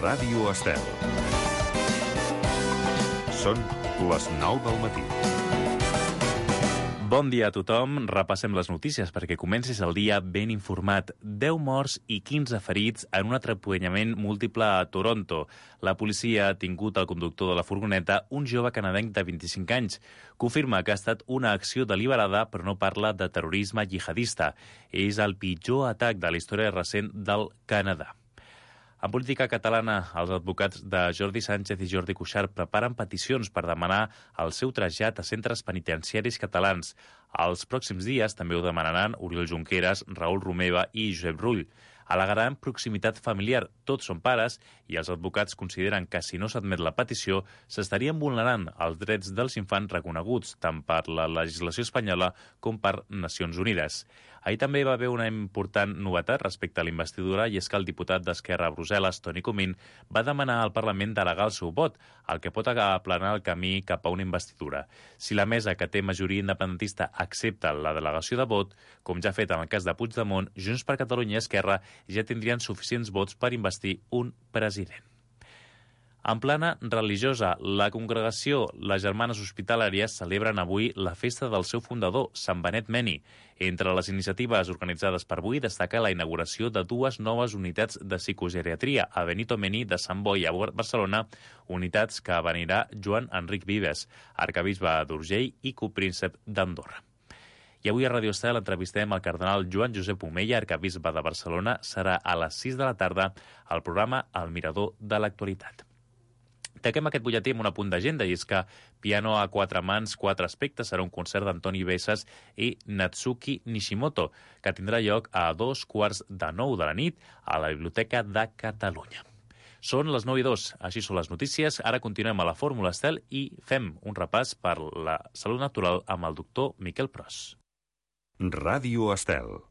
Ràdio Estel. Són les 9 del matí. Bon dia a tothom. Repassem les notícies perquè comencis el dia ben informat. 10 morts i 15 ferits en un atrapellament múltiple a Toronto. La policia ha tingut el conductor de la furgoneta, un jove canadenc de 25 anys. Confirma que ha estat una acció deliberada, però no parla de terrorisme jihadista. És el pitjor atac de la història recent del Canadà. En política catalana, els advocats de Jordi Sánchez i Jordi Cuixart preparen peticions per demanar el seu trasllat a centres penitenciaris catalans. Els pròxims dies també ho demanaran Oriol Junqueras, Raül Romeva i Josep Rull. Al·legaran proximitat familiar. Tots són pares i els advocats consideren que si no s'admet la petició s'estarien vulnerant els drets dels infants reconeguts tant per la legislació espanyola com per Nacions Unides. Ahir també va haver una important novetat respecte a la investidura i és que el diputat d'Esquerra a Brussel·les, Toni Comín, va demanar al Parlament delegar el seu vot, el que pot aplanar el camí cap a una investidura. Si la mesa que té majoria independentista accepta la delegació de vot, com ja ha fet en el cas de Puigdemont, Junts per Catalunya i Esquerra ja tindrien suficients vots per investir un president. En plana religiosa, la congregació Les Germanes Hospitalàries celebren avui la festa del seu fundador, Sant Benet Meni. Entre les iniciatives organitzades per avui destaca la inauguració de 2 noves unitats de psicogeriatria a Benito Meni de Sant Boi a Barcelona, unitats que venirà Joan Enric Vives, arcabisbe d'Urgell i copríncep d'Andorra. I avui a Ràdio Estel entrevistem el cardenal Joan Josep Omella, arcabisbe de Barcelona. Serà a les 6 de la tarda al programa El Mirador de l'Actualitat. Taquem aquest butlletí amb un apunt d'agenda, i és que Piano a 4 mans, 4 aspectes serà un concert d'Antoni Bessas i Natsuki Nishimoto, que tindrà lloc a 8:45 de la nit a la Biblioteca de Catalunya. Són les 9:02, així són les notícies. Ara continuem a la Fórmula Estel i fem un repàs per la salut natural amb el doctor Miquel Pros. Ràdio Estel.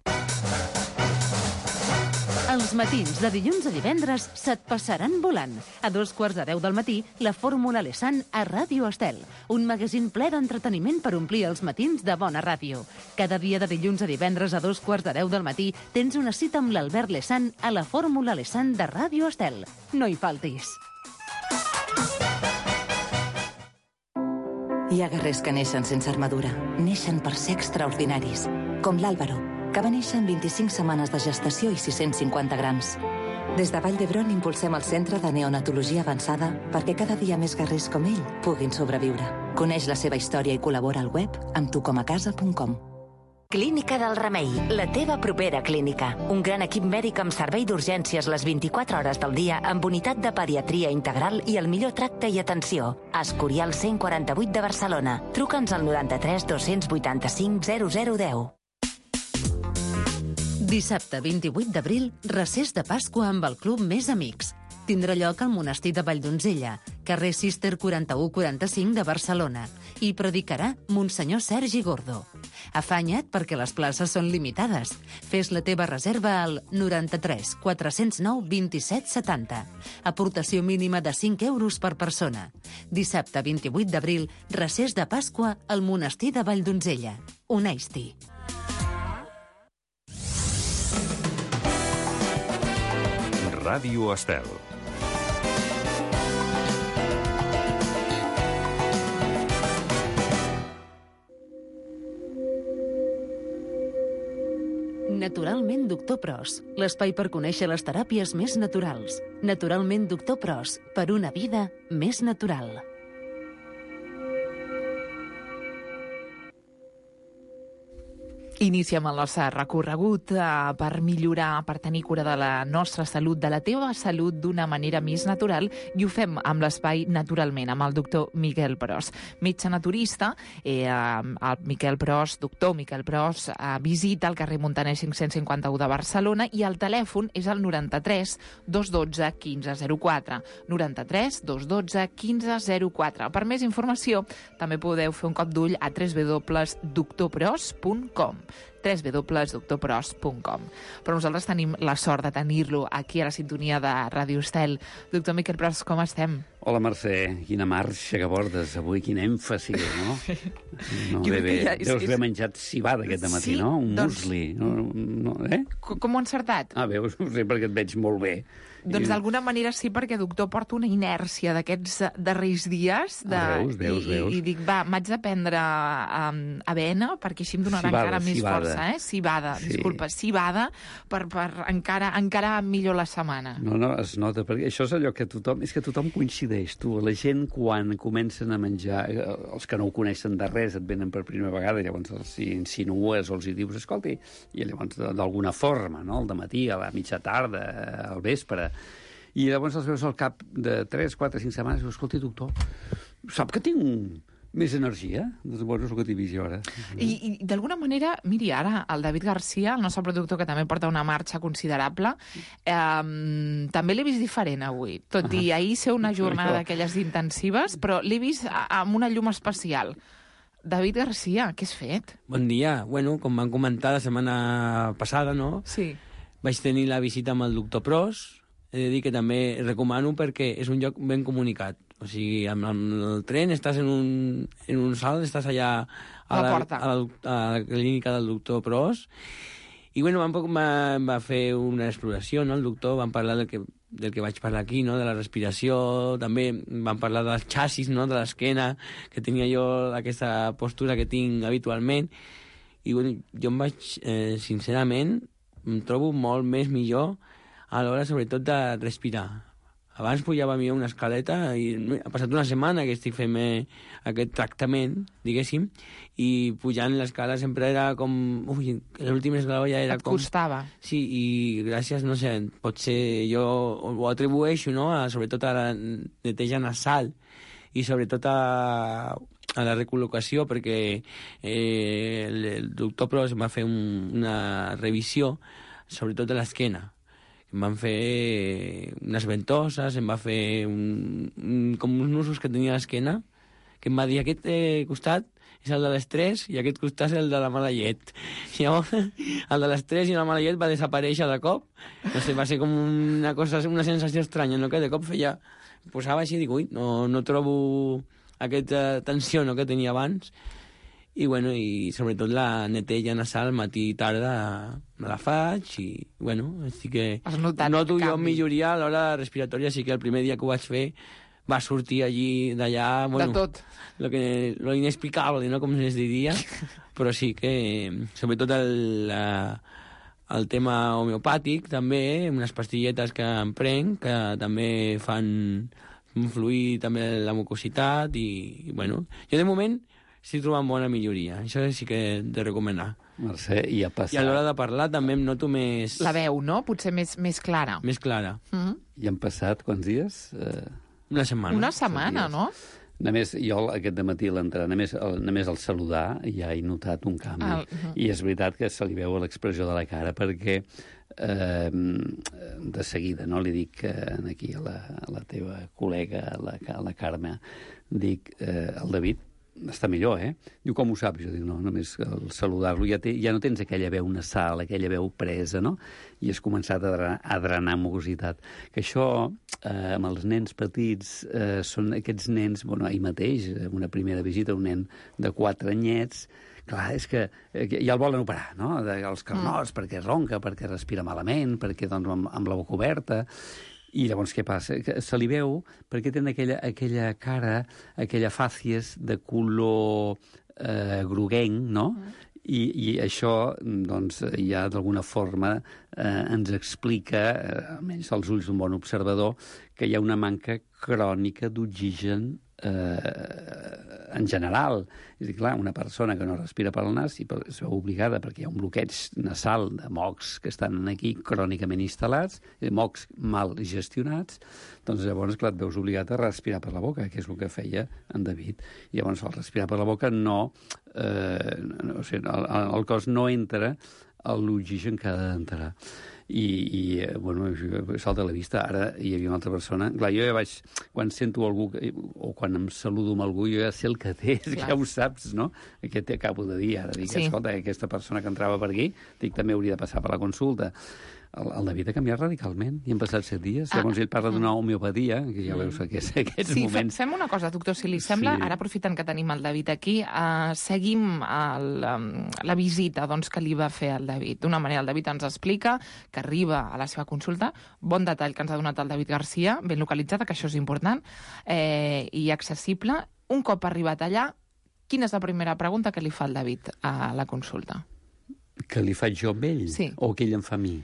Els matins de dilluns a divendres se't passaran volant. A 9:45 del matí, la Fórmula Lesan a Ràdio Estel. Un magazín ple d'entreteniment per omplir els matins de bona ràdio. Cada dia de dilluns a divendres a 9:45 del matí tens una cita amb l'Albert Lesan a la Fórmula Lesan de Ràdio Estel. No hi faltis. Hi ha guerrers que neixen sense armadura. Neixen per ser extraordinaris. Com l'Àlvaro, que va néixer en 25 setmanes de gestació i 650 grams. Des de Vall d'Hebron impulsem el Centre de Neonatologia Avançada perquè cada dia més guerrers com ell puguin sobreviure. Coneix la seva història i col·labora al web amb tucomacasa.com. Clínica del Remei, la teva propera clínica. Un gran equip mèdic amb servei d'urgències les 24 hores del dia amb unitat de pediatria integral i el millor tracte i atenció. Escorial 148 de Barcelona. Truca'ns al 93 285 0010. Dissabte 28 d'abril, recés de Pasqua amb el Club Més Amics. Tindrà lloc al Monestir de Valldonzella, carrer Cister 4145 de Barcelona, i predicarà Monsenyor Sergi Gordo. Afanya't perquè les places són limitades. Fes la teva reserva al 93 409 27 70. Aportació mínima de 5 euros per persona. Dissabte 28 d'abril, recés de Pasqua al Monestir de Valldonzella. Uneix-t'hi. Ràdio Estel. Naturalment Doctor Pros, l'espai per conèixer les teràpies més naturals. Naturalment Doctor Pros, per una vida més natural. Iniciem el nostre recorregut per millorar, per tenir cura de la nostra salut, de la teva salut d'una manera més natural, i ho fem amb l'espai Naturalment, amb el doctor Miquel Pros. Metge naturista, el Miquel Pros, doctor Miquel Pros, visita al carrer Montaner 551 de Barcelona i el telèfon és el 93 212 1504. 93 212 1504. Per més informació també podeu fer un cop d'ull a www.doctorpros.com. www.drpros.com. Però nosaltres tenim la sort de tenir-lo aquí a la sintonia de Ràdio Estel. Doctor Miquel Pros, com estem? Hola, Mercè, quina marxa que portes avui, quin èmfasi, no? No, bé, deus haver menjat cibada aquest matí, no? Un musli. Com ho ha encertat? Veus, no sé, perquè et veig molt bé. Doncs d'alguna manera sí, perquè, doctor, porta una inèrcia d'aquests darrers dies. Veus. I dic, m'haig de prendre avena, perquè així em donarà encara més força. Cibada, sí. Disculpa, cibada, per encara millor la setmana. No, es nota, perquè això és allò que tothom coincideix, tu. La gent, quan comencen a menjar, els que no ho coneixen de res, et venen per primera vegada, i llavors els insinues o els hi dius, escolti, i llavors d'alguna forma, no?, al dematí, a la mitja tarda, al vespre, i llavors els veus al cap de 3, 4, 5 setmanes i dius, escolti, doctor, sap que tinc més energia? Doncs bueno, és el que t'he vist jo ara. I d'alguna manera, miri, ara el David Garcia, el nostre productor, que també porta una marxa considerable, també l'he vist diferent avui. Tot i ahir ser una jornada d'aquelles intensives, però l'he vist amb una llum especial. David Garcia, què has fet? Bon dia. Bueno, com van comentar la setmana passada, no? Sí. Vaig tenir la visita amb el doctor Pros. He de dir que també recomano perquè és un lloc ben comunicat. O sigui, amb el tren estàs en un salt, estàs allà a la clínica del doctor Pros. I bueno, va fer una exploració, no? El doctor, van parlar del que vaig parlar aquí, no? De la respiració, també van parlar dels xassis, no? De l'esquena, que tenia jo aquesta postura que tinc habitualment. I bueno, jo em vaig, sincerament, em trobo molt més millor a l'hora, sobretot, de respirar. Abans pujava a mi una escaleta i ha passat una setmana que estic fent aquest tractament, diguéssim, i pujant l'escala sempre era com... Ui, l'últim esglaó ja era com... Et costava. Sí, i gràcies, no sé, potser jo ho atribueixo, no?, sobretot a la neteja nasal i sobretot a la recol·locació, perquè el doctor Pros em va fer una revisió, sobretot de l'esquena. Em van fer unes ventoses, em va fer com uns nusos que tenia a l'esquena, que em va dir, aquest costat és el de l'estrès i aquest costat és el de la mala llet. I llavors, el de l'estrès i la mala llet va desaparèixer de cop. No sé, va ser com una sensació estranya, no?, que de cop feia... Posava així i dic, ui, no trobo aquesta tensió, no?, que tenia abans. I, bueno, i sobretot la neteja nasal matí i tarda me la faig i, bueno, estic que... Noto jo milloria a l'hora respiratòria, així que el primer dia que ho vaig fer va sortir allí d'allà... Bueno, de tot. Lo inexplicable, no?, com es diria, però sí que, sobretot el tema homeopàtic, també, unes pastilletes que em prenc, que també fan fluir també la mucositat i, bueno, jo de moment estic trobant bona milloria. Això sí que he de recomanar. Mercè, i ha passat... I a l'hora de parlar també em noto més... La veu, no? Potser més clara. Més clara. I han passat quants dies? Una setmana. Una setmana, no? Només jo aquest dematí a l'entrar, només al saludar ja he notat un canvi. I és veritat que se li veu l'expressió de la cara perquè de seguida, no? Li dic aquí a la teva col·lega, a la Carme, dic, el David està millor, eh? Diu, com ho saps? Jo dic, no, només al saludar-lo ja no tens aquella veu nasal, aquella veu presa, no? I has començat a drenar mucositat. Que això, amb els nens petits, són aquests nens, bueno, ahir mateix, en una primera visita, un nen de 4 anyets, clar, és que ja el volen operar, no? Els carnots, perquè ronca, perquè respira malament, perquè, doncs, amb la boca oberta... I llavors què passa? Que se li veu perquè tenen aquella cara, aquella fàcies de color groguenc, no? I això, doncs, ja d'alguna forma ens explica, almenys als ulls d'un bon observador, que hi ha una manca crònica d'oxigen en general. És a dir, clar, una persona que no respira pel nas i es veu obligada, perquè hi ha un bloqueig nasal de mocs que estan aquí crònicament instal·lats, mocs mal gestionats, doncs llavors, clar, et veus obligat a respirar per la boca, que és el que feia en David. I llavors, al respirar per la boca, o sigui, el cos no entra l'oxigen que ha d'entrar. I bueno, salta a la vista. Ara hi havia una altra persona. Clar, jo ja vaig... Quan sento algú, o quan em saludo amb algú, jo ja sé el que té, ja ho saps, no? Què t'acabo de dir ara? Dic, escolta, aquesta persona que entrava per aquí, dic, també hauria de passar per la consulta. El David ha canviat radicalment i han passat 7 dies. Llavors ell parla d'una homeopatia, que ja veus aquests moments... Fem una cosa, doctor, si li sembla, ara aprofitant que tenim el David aquí, seguim la visita que li va fer el David. D'una manera, el David ens explica que arriba a la seva consulta, bon detall que ens ha donat el David Garcia, ben localitzada, que això és important, i accessible. Un cop arribat allà, quina és la primera pregunta que li fa el David a la consulta? Que li faig jo amb ell? Sí. O que ell em fa a mi?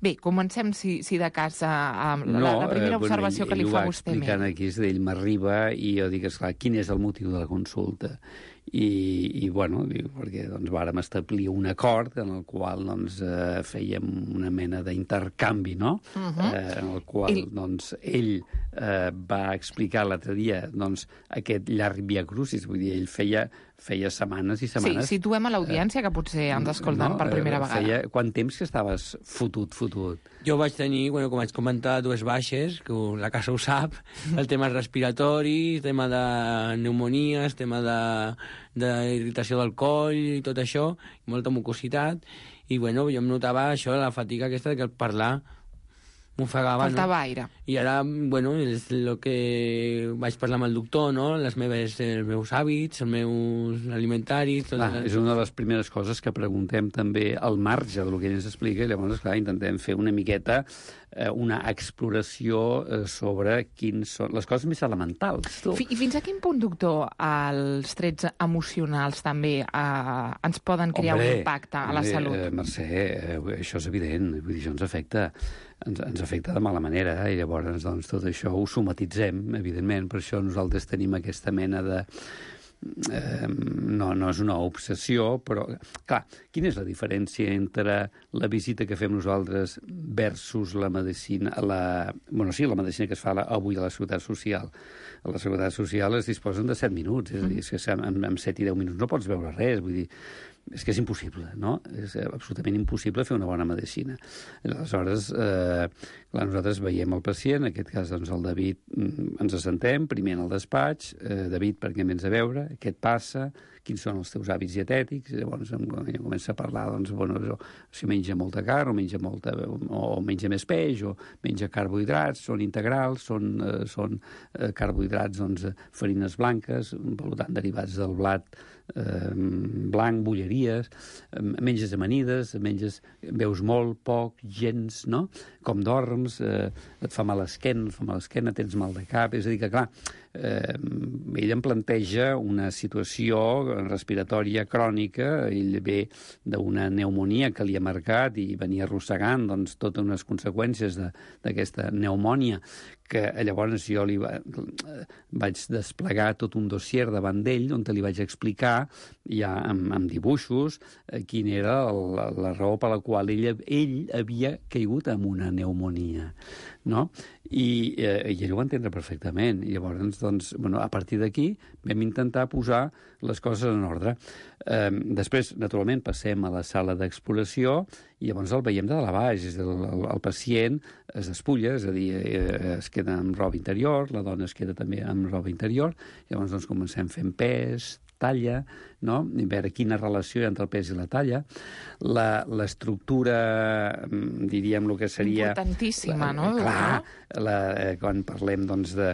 Bé, comencem, si de cas, amb la primera observació que li fa vostè. Ell ho va explicant aquí, és d'ell m'arriba i jo dic, esclar, quin és el motiu de la consulta? I bueno, perquè vàrem establir un acord en el qual fèiem una mena d'intercanvi, no? En el qual ell va explicar l'altre dia aquest llarg via crucis, vull dir, ell feia setmanes i setmanes. Sí, situem a l'audiència, que potser ens escolten per primera vegada. Quant temps que estaves fotut? Jo vaig tenir, com vaig comentar, 2 baixes, que la casa ho sap, el tema respiratori, el tema de pneumonies, el tema d'irritació del coll i tot això, molta mucositat, i jo em notava això, la fatiga aquesta de que al parlar m'ofegava, faltava aire. I ara, és el que vaig parlar amb el doctor, no? Els meus hàbits, els meus alimentaris... És una de les primeres coses que preguntem també al marge del que ell ens explica, i llavors, clar, intentem fer una miqueta una exploració sobre quins són les coses més elementals. I fins a quin punt, doctor, els trets emocionals també ens poden crear un impacte a la salut? Mercè, això és evident, vull dir, això ens afecta de mala manera, i llavors tot això ho somatitzem, evidentment, per això nosaltres tenim aquesta mena de... No és una obsessió, però, clar, quina és la diferència entre la visita que fem nosaltres versus la medicina, la medicina que es fa avui a la Seguretat Social? A la Seguretat Social es disposen de 7 minuts, és a dir, que en 7 i 10 minuts no pots veure res, vull dir, és que és impossible, no? És absolutament impossible fer una bona medicina. Aleshores, clar, nosaltres veiem el pacient, en aquest cas, el David, ens assentem, primer en el despatx, David, per què em vens a veure, què et passa, quins són els teus hàbits dietètics, llavors comença a parlar, si menja molta carn, o menja més peix, o menja carbohidrats, són integrals, són carbohidrats, farines blanques, per tant, derivats del blat blanc, bolleries, menges amanides, veus molt, poc, gens, no? Com dorms, et fa mal l'esquena, tens mal de cap, és a dir que, clar, ell em planteja una situació respiratòria crònica, ell ve d'una pneumonia que li ha marcat i venia arrossegant totes unes conseqüències d'aquesta pneumònia, que llavors jo vaig desplegar tot un dossier davant d'ell on li vaig explicar ja amb dibuixos quina era la raó per la qual ell havia caigut en una pneumonia, no? I ell ho va entendre perfectament. I llavors, a partir d'aquí vam intentar posar les coses en ordre. Després, naturalment, passem a la sala d'exploració i llavors el veiem de dalt a baix. El pacient es despulla, és a dir, es queda amb roba interior, la dona es queda també amb roba interior, llavors comencem fent pes, talla, no? I veure quina relació hi ha entre el pes i la talla. L'estructura, diríem, el que seria... Importantíssima, no? Clar, quan parlem, de...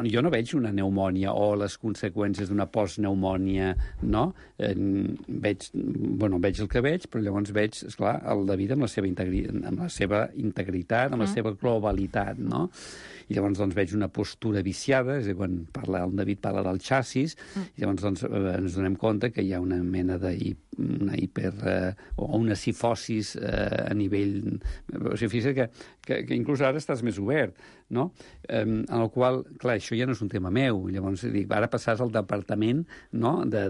jo no veig una pneumònia o les conseqüències d'una postpneumònia, no? Veig el que veig, però llavors veig, esclar, el David amb la seva integritat, amb la seva globalitat, no? I llavors veig una postura viciada, és a dir, quan el David parla del xassis, i llavors ens donem compte que hi ha una mena o una cifosis a nivell... O sigui, fixa't que inclús ara estàs més obert, no? En el qual, clar, això ja no és un tema meu, llavors dic, ara passaràs al departament, no?, de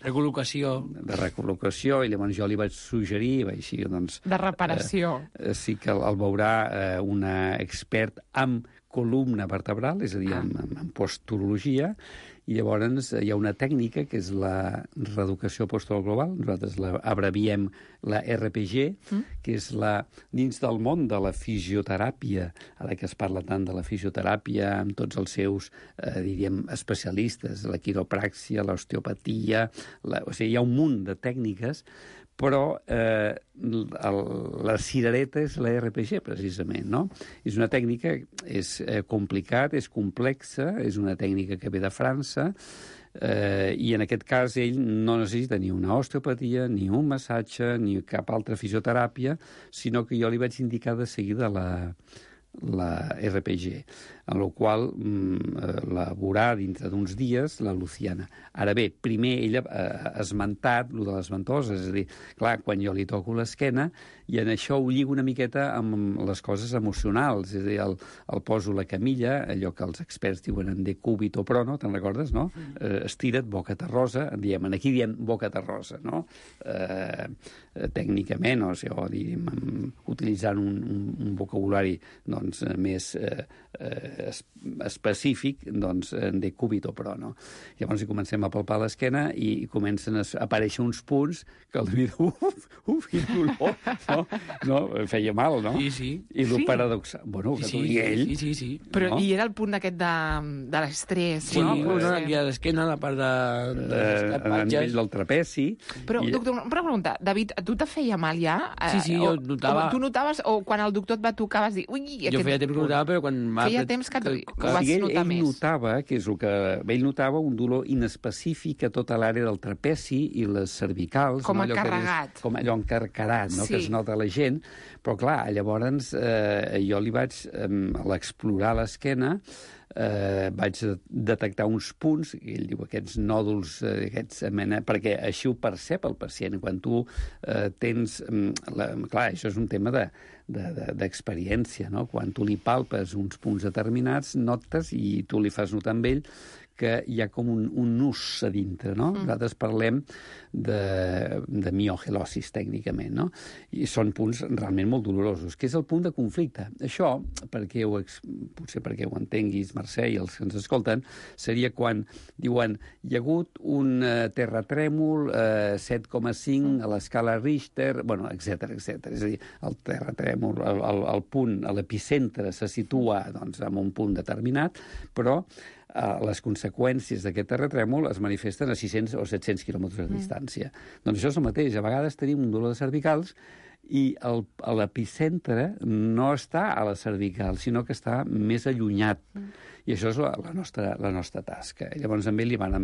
recol·locació. De recol·locació, i llavors jo li vaig suggerir, de reparació. Sí que el veurà una expert amb columna vertebral, és a dir, en posturologia, i llavors hi ha una tècnica que és la reeducació postural global, nosaltres abbreviem la RPG, que és dins del món de la fisioteràpia, ara que es parla tant de la fisioteràpia amb tots els seus, diríem, especialistes, la quiropràxia, l'osteopatia, o sigui, hi ha un munt de tècniques, però la cirereta és la RPG, precisament, no? És una tècnica, és complicat, és complexa, és una tècnica que ve de França, i en aquest cas ell no necessita ni una osteopatia, ni un massatge, ni cap altra fisioteràpia, sinó que jo li vaig indicar de seguida la RPG, en la qual la veurà dintre d'uns dies la Luciana. Ara bé, primer ella ha esmentat el de les ventoses, és a dir, clar, quan jo li toco l'esquena, i en això ho lligo una miqueta amb les coses emocionals, és a dir, el poso la camilla, allò que els experts diuen en decúbito prono, te'n recordes, no? Estira't, boca terrosa, aquí diem boca terrosa, no? Tècnicament, o sigui, utilitzant un vocabulari doncs, més específic, doncs, de cúbito pro, no? Llavors hi comencem a palpar l'esquena i comencen a aparèixer uns punts que el David, quin dolor, no? Feia mal, no? Sí. I el paradoxal, bueno, que t'ho digui ell. Sí. Però i era el punt aquest de l'estrès, sí, no? Aquí a l'esquena, la part de a nivell del trapeci. Però, doctor, una pregunta. David, a tu te feia mal ja? Sí, jo notava... Tu notaves, o quan el doctor et va tocar vas dir... Jo feia temps que notava, però quan... Feia temps que ho vas notar més. Ell notava, que és el que... Ell notava un dolor inespecífic a tota l'àrea del trapeci i les cervicals. Com encarregat. Com allò encarcarat, no? Que es nota a la gent. Però, clar, llavors jo li vaig... a l'explorar l'esquena, vaig detectar uns punts, i ell diu aquests nòduls, perquè així ho percep el pacient. Quan tu tens... clar, això és un tema d'experiència, no? Quan tu li palpes uns punts determinats, notes, i tu li fas notar amb ell, que hi ha com un nus a dintre, no? Nosaltres parlem de miogelosis, tècnicament, no? I són punts realment molt dolorosos, que és el punt de conflicte. Això, potser perquè ho entenguis, Mercè, i els que ens escolten, seria quan diuen hi ha hagut un terratrèmol 7,5 a l'escala Richter, bueno, etc. És a dir, el terratrèmol, el punt, l'epicentre se situa doncs, en un punt determinat, però les conseqüències d'aquest terratrèmol es manifesten a 600 o 700 quilòmetres de distància. Doncs això és el mateix. A vegades tenim un dolor de cervicals i l'epicentre no està a la cervical, sinó que està més allunyat. I això és la nostra tasca. Llavors, amb ell li van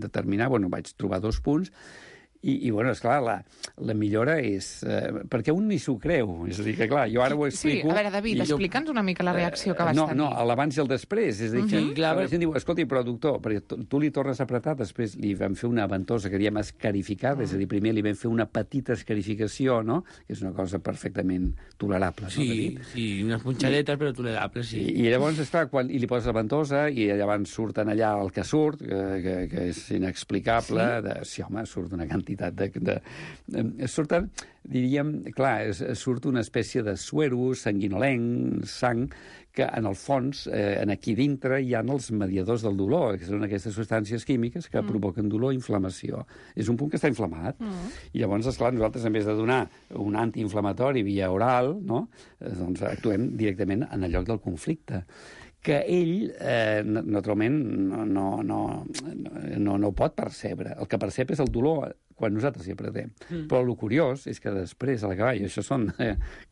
determinar, vaig trobar 2 punts, i bueno, esclar, la millora és... perquè un ni s'ho creu. És a dir, que clar, jo ara ho explico... Sí, a veure, David, explica'ns una mica la reacció que vas tenir. No, l'abans i el després. És a dir, que la gent diu, escolta, però doctor, perquè tu li tornes a apretar, després li vam fer una ventosa que diem escarificada, és a dir, primer li vam fer una petita escarificació, no? Que és una cosa perfectament tolerable. Sí, unes punxadetes, però tolerables, sí. I llavors, esclar, quan li poses la ventosa i llavors surten allà el que surt, que és inexplicable, sí, home, surt una quantitat surten, diríem, clar, surt una espècie de suero sanguinolenc, sang, que en el fons, aquí dintre, hi ha els mediadors del dolor, que són aquestes substàncies químiques que provoquen dolor i inflamació. És un punt que està inflamat. I llavors, esclar, nosaltres, en vez de donar un antiinflamatori via oral, no? Doncs actuem directament en el lloc del conflicte, que ell, naturalment, no pot percebre. El que percep és el dolor quan nosaltres hi apretem. Però el curiós és que després, a l'acabar, i això són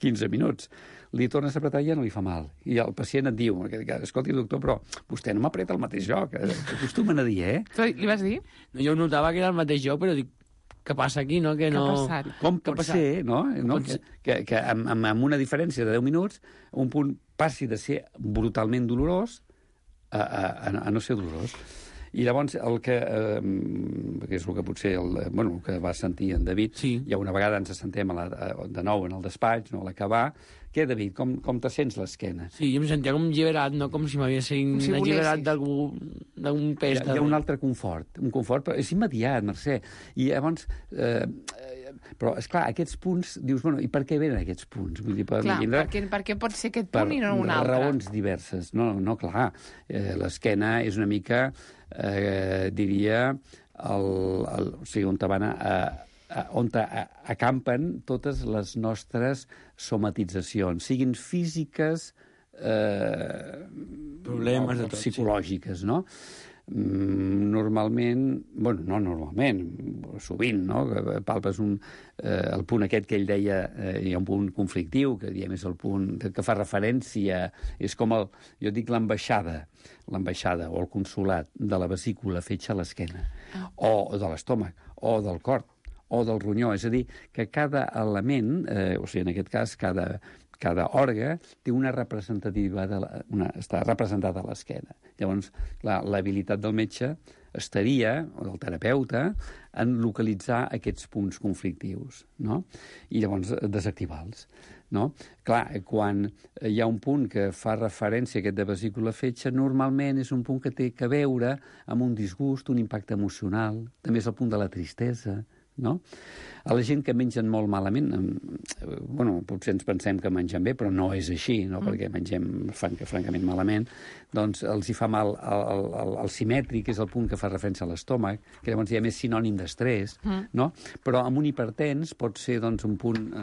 15 minuts, li tornes a apretar i ja no li fa mal. I el pacient et diu, escolti, doctor, però vostè no m'apreta al mateix lloc. Acostumen a dir, Li vas dir? No, jo notava que era el mateix lloc, però dic, què passa aquí, no? Que no... Què ha passat? Com pot ser, no? Que amb una diferència de 10 minuts un punt passi de ser brutalment dolorós a no ser dolorós. I llavors, que és el que potser el que va sentir en David, ja una vegada ens assentem de nou en el despatx, no, a l'acabar, Què, David, com te sents l'esquena? Sí, jo em sentia com alliberat, no? Com si m'haguessin alliberat d'algun pes. Hi ha un altre confort, però és immediat, Mercè. I llavors... però, esclar, aquests punts, dius, bueno, i per què venen aquests punts? Vull dir, per què pot ser aquest punt i no un altre? Per raons diverses. No, clar. L'esquena és una mica, diria, o sigui, on acampen totes les nostres somatitzacions, siguin físiques, problemes de tot, psicològiques, no? Normalment, no normalment, sovint, no? Palpes el punt aquest que ell deia, hi ha un punt conflictiu, que diem és el punt que fa referència, és com jo dic l'ambaixada o el consolat de la vesícula fetge a l'esquena, o de l'estómac, o del cor, o del ronyó. És a dir, que cada element, o sigui, en aquest cas, cada òrga té una representativitat, està representada a l'esquena. Llavors, l'habilitat del metge estaria, o del terapeuta, en localitzar aquests punts conflictius, no? I llavors desactivar-los, no? Clar, quan hi ha un punt que fa referència a aquest de vesícula fetge, normalment és un punt que té a veure amb un disgust, un impacte emocional, també és el punt de la tristesa, no? A la gent que mengen molt malament, potser ens pensem que mengen bé, però no és així, no? Perquè mengem francament malament, doncs els hi fa mal el simètric, que és el punt que fa referència a l'estómac, que llavors ja és sinònim d'estrès, no? Però amb un hipertens pot ser doncs, un punt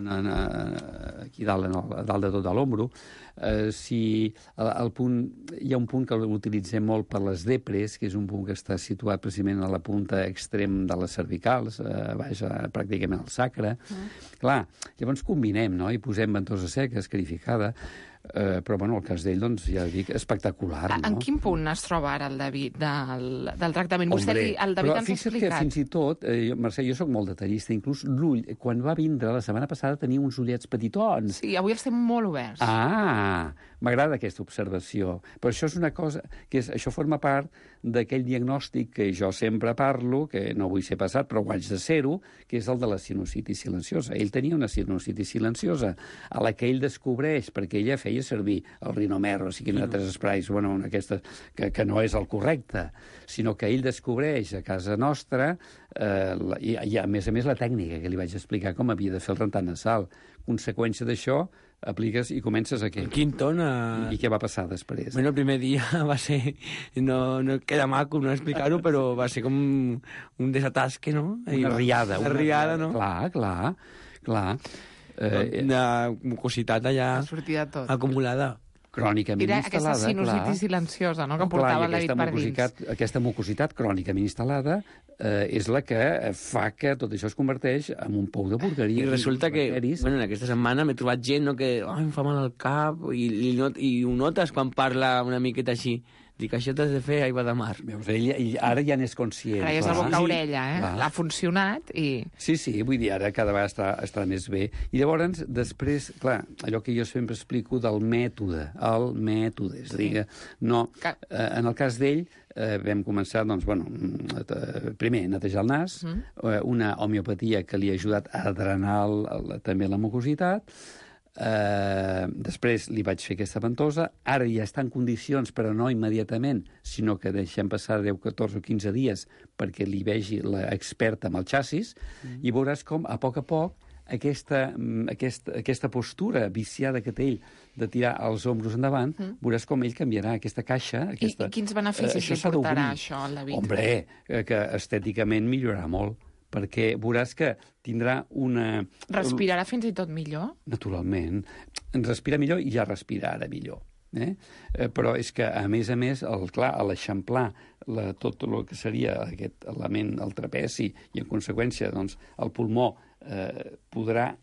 aquí dalt de tot a l'ombro. Si hi ha un punt que l'utilitzem molt per les depres, que és un punt que està situat precisament a la punta extrem de les cervicals, pràcticament al sacre. Clar, llavors combinem, no? I posem ventosa seca, escarificada, però, el cas d'ell, doncs, ja dic, espectacular, no? En quin punt es troba ara el David del tractament? El David ens ha explicat. Que fins i tot, Mercè, jo soc molt detallista, inclús l'ull, quan va vindre la setmana passada tenia uns ullets petitons. Sí, avui els té molt oberts. M'agrada aquesta observació. Però això és una cosa, això forma part d'aquell diagnòstic que jo sempre parlo, que no vull ser passat, però guanys de ser-ho, que és el de la sinusitis silenciosa. Ell tenia una sinusitis silenciosa, a la que ell descobreix, perquè ella feia servir el Rinomer, o sigui, altres esprais, aquestes, que no és el correcte, sinó que ell descobreix a casa nostra, i a més la tècnica que li vaig explicar com havia de fer el rentat nasal. Conseqüència d'això, apliques i comences a què? El Quinton... I què va passar després? Bueno, el primer dia va ser... No queda maco no explicar-ho, però va ser com un desatasque, no? Una riada. Una riada, no? Clar. Una mucositat allà... Ha sortit tot. Acumulada. Crònicament instal·lada, clar. Era aquesta sinusitis silenciosa, no?, que portava el David per dins. Aquesta mucositat crònicament instal·lada és la que fa que tot això es converteix en un pou de porqueria. I resulta que, en aquesta setmana m'he trobat gent que em fa mal al cap, i ho notes quan parla una miqueta així. Dic, això t'has de fer aigua de mar. Veus, ell ara ja n'és conscient. Ara ja és la boca-orella, Ha funcionat i... Sí, vull dir, ara cada vegada està més bé. I llavors, després, clar, allò que jo sempre explico del mètode, és a dir, no, en el cas d'ell, vam començar, doncs, primer, netejar el nas, una homeopatia que li ha ajudat a drenar també la mucositat. Després li vaig fer aquesta ventosa. Ara ja està en condicions, però no immediatament, sinó que deixem passar 10, 14 o 15 dies perquè li vegi l'experta amb el xassis, i veuràs com a poc aquesta postura viciada que té ell de tirar els ombros endavant, veuràs com ell canviarà aquesta caixa. I quins beneficis li portarà això al David? Hombre, que estèticament millorarà molt, perquè veuràs que tindrà una... Respirarà fins i tot millor? Naturalment. Respira millor i ja respira ara millor. Però és que, a més, a l'eixamplar tot el que seria aquest element, el trapezi, i en conseqüència, doncs, el pulmó podrà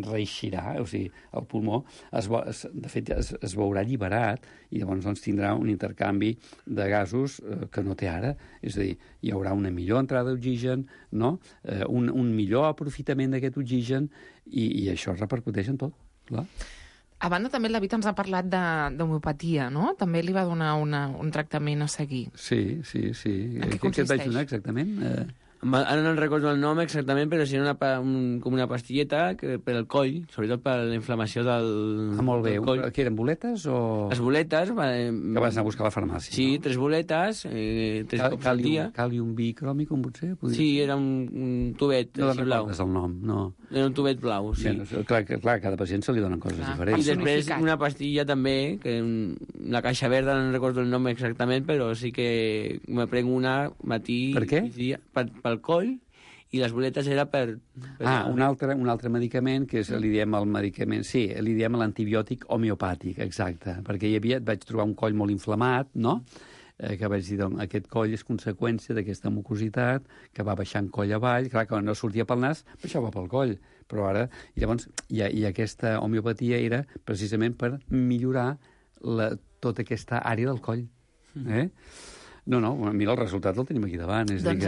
reeixirà, o sigui, el pulmó de fet es veurà alliberat, i llavors doncs, tindrà un intercanvi de gasos que no té ara, és a dir, hi haurà una millor entrada d'oxigen, no? Un millor aprofitament d'aquest oxigen, i això repercuteix en tot, clar. A banda, també el David ens ha parlat d'homeopatia, no? També li va donar un tractament a seguir. Sí. En què consisteix? Què et vaig donar exactament? Ara no recordo el nom exactament, però sí com una pastilleta per al coll, sobretot per la inflamació del Molt bé. del coll. Que eren boletes o...? Les boletes... Que vas anar a buscar a la farmàcia, Sí, no? 3 boletes, 3 cops al dia. Càlium bicròmicum, potser? Sí, era un tubet No així blau. recordes el nom, no. Era un tubet blau, sí. Bé, clar, a cada pacient se li donen coses I diferents. després una pastilla també, que la caixa verda no recordo el nom exactament, però sí que me prenc una matí... Per què? Migdia, pel coll, i les boletes era per... Un altre medicament, que li diem el medicament... Sí, li diem l'antibiòtic homeopàtic, exacte. Perquè et vaig trobar un coll molt inflamat, no?, que vaig dir, doncs, aquest coll és conseqüència d'aquesta mucositat, que va baixant coll avall, clar, que no sortia pel nas, baixava pel coll, però ara... I llavors, i aquesta homeopatia era precisament per millorar tota aquesta àrea del coll. No, mira, el resultat el tenim aquí davant. Doncs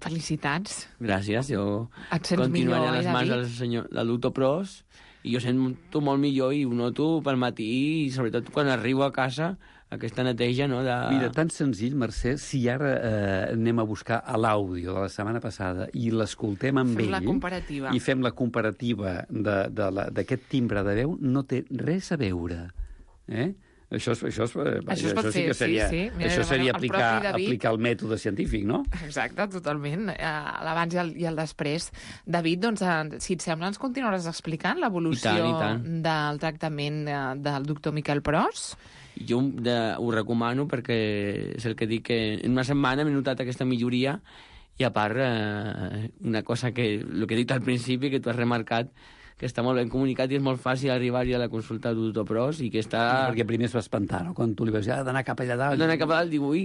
felicitats. Gràcies, jo Et sents continuaré millor, a les mans del doctor Pros, i jo sento molt millor i ho noto pel matí, i sobretot quan arribo a casa, aquesta neteja, no? Mira, tan senzill, Mercè, si ara anem a buscar l'àudio de la setmana passada i l'escoltem amb ell... Fem la comparativa. I fem la comparativa d'aquest timbre de veu, no té res a veure. Això sí que seria, sí. Mira, això seria el propi David... aplicar el mètode científic, no? Exacte, totalment. L'abans i el després. David, doncs, si et sembla, ens continuaràs explicant l'evolució I tant. del tractament del doctor Miquel Pros? Jo ho recomano perquè és el que dic, que en una setmana m'he notat aquesta milloria, i a part, una cosa que, el que he dit al principi, que tu has remarcat, que està molt ben comunicat i és molt fàcil arribar-hi a la consulta del doctor Pros, i que està... Perquè primer es va espantar, no?, quan tu li vas dir, d'anar cap allà dalt. D'anar cap allà dalt, dic, ui...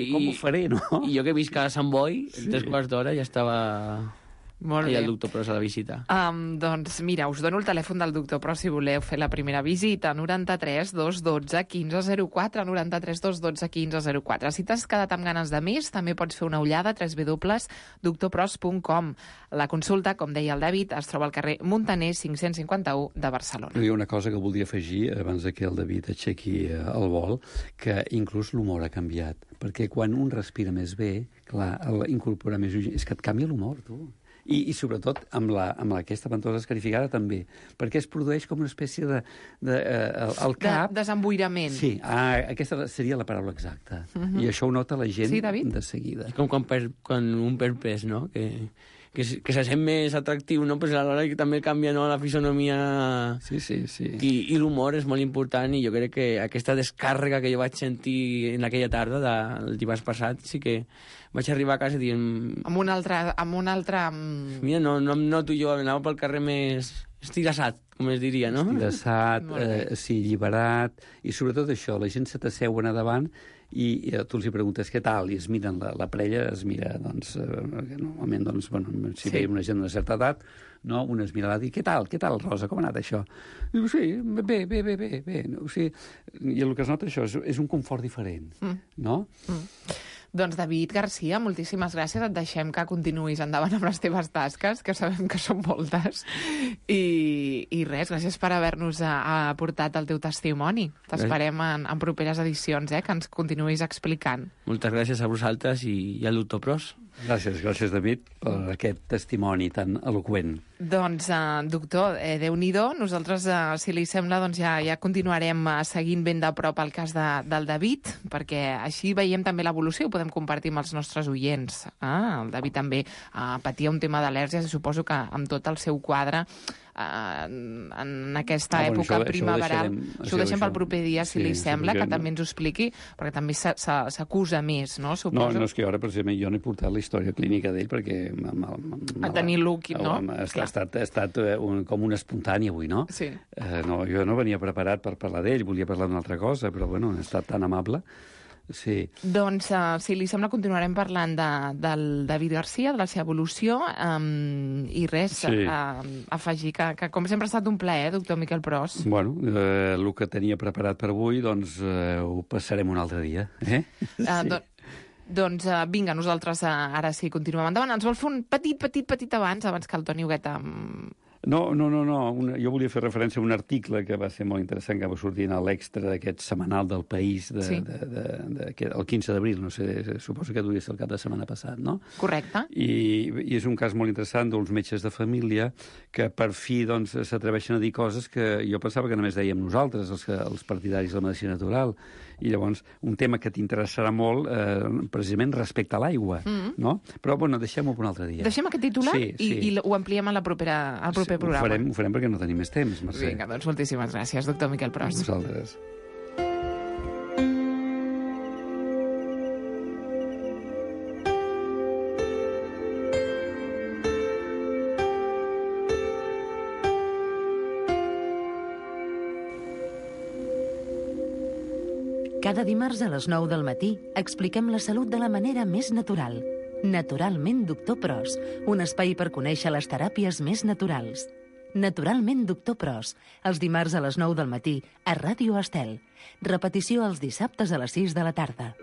Com ho faré, no? I jo que visc a Sant Boi, en 3 quarts d'hora ja estava... Molt bé. el doctor Pros a la visita. Doncs mira, us dono el telèfon del doctor Pros si voleu fer la primera visita, 93 212 1504, 93 212 1504. Si t'has quedat amb ganes de més, també pots fer una ullada a www.doctorpros.com. La consulta, com deia el David, es troba al carrer Muntaner 551 de Barcelona. Hi ha una cosa que voldria afegir, abans que el David aixequi el vol, que inclús l'humor ha canviat. Perquè quan un respira més bé, clar, incorporar més oxigen, és que et canvia l'humor, tu. I sobretot amb aquesta ventosa escarificada també, perquè es produeix com una espècie al cap... Desemboirament. Sí, aquesta seria la paraula exacta. I això ho nota la gent de seguida. És com quan un perd pes, no?, que se sent més atractiu, no? Pues alhora que també canvia, no?, la fisonomia... Sí. I l'humor és molt important, i jo crec que aquesta descàrrega que jo vaig sentir en aquella tarda del dimarts passat, sí que vaig arribar a casa dient... Amb un altre... Mira, no em noto jo, anava pel carrer més estirassat, com es diria, no? Estirassat, sí, alliberat, i sobretot això, la gent se t'asseuen a davant i tu els preguntes què tal, i es miren la parella, es mira, doncs, normalment, doncs, bueno, si veiem una gent d'una certa edat, no? Una es mira i què tal, Rosa, com ha anat això? Diu, sí, bé. O sigui, i el que es nota això és un confort diferent, no? Doncs David Garcia, moltíssimes gràcies. Et deixem que continuïs endavant amb les teves tasques, que sabem que són moltes. I res, gràcies per haver-nos aportat el teu testimoni. T'esperem en properes edicions, que ens continuïs explicant. Moltes gràcies a vosaltres i al doctor Pros. Gràcies, David, per aquest testimoni tan eloqüent. Doncs, doctor, Déu-n'hi-do, nosaltres, si li sembla, doncs ja continuarem seguint ben de prop el cas del David, perquè així veiem també l'evolució, ho podem compartir amb els nostres oients. El David també patia un tema d'al·lèrgies, i suposo que amb tot el seu quadre en aquesta època primaveral. Això ho deixem pel proper dia, si li sembla, que també ens ho expliqui, perquè també s'acusa més, no? Suposo. No, és que ara, precisament, jo no he portat la història clínica d'ell, perquè... A tenir l'úquid, no? Ha estat com un espontani avui, no? Sí. No, jo no venia preparat per parlar d'ell, volia parlar d'una altra cosa, però, bueno, ha estat tan amable. Sí. Doncs, si li sembla, continuarem parlant del David Garcia, de la seva evolució, i res, afegir que com sempre ha estat un plaer, doctor Miquel Pros. Bueno, el que tenia preparat per avui, doncs ho passarem un altre dia. Sí. Doncs vinga, nosaltres ara sí continuem endavant. Ens vol fer un petit abans que el Toni Hugueta... No. Jo volia fer referència a un article que va ser molt interessant, que va sortir a l'Extra d'aquest setmanal del País el 15 d'abril, no sé, suposo que devia ser el cap de setmana passat, no? Correcte. I és un cas molt interessant d'uns metges de família que per fi doncs, s'atreveixen a dir coses que jo pensava que només dèiem nosaltres, els partidaris de la medicina natural. I llavors, un tema que t'interessarà molt, precisament respecte a l'aigua, no? Però, bueno, deixem-ho per un altre dia. Deixem aquest titular i ho ampliem al proper programa. Ho farem perquè no tenim més temps, Mercè. Vinga, doncs moltíssimes gràcies, doctor Miquel Pros. Vosaltres. Cada dimarts a les 9 del matí expliquem la salut de la manera més natural. Naturalment, doctor Pros, un espai per conèixer les teràpies més naturals. Naturalment, doctor Pros, els dimarts a les 9 del matí a Ràdio Estel. Repetició els dissabtes a les 6 de la tarda.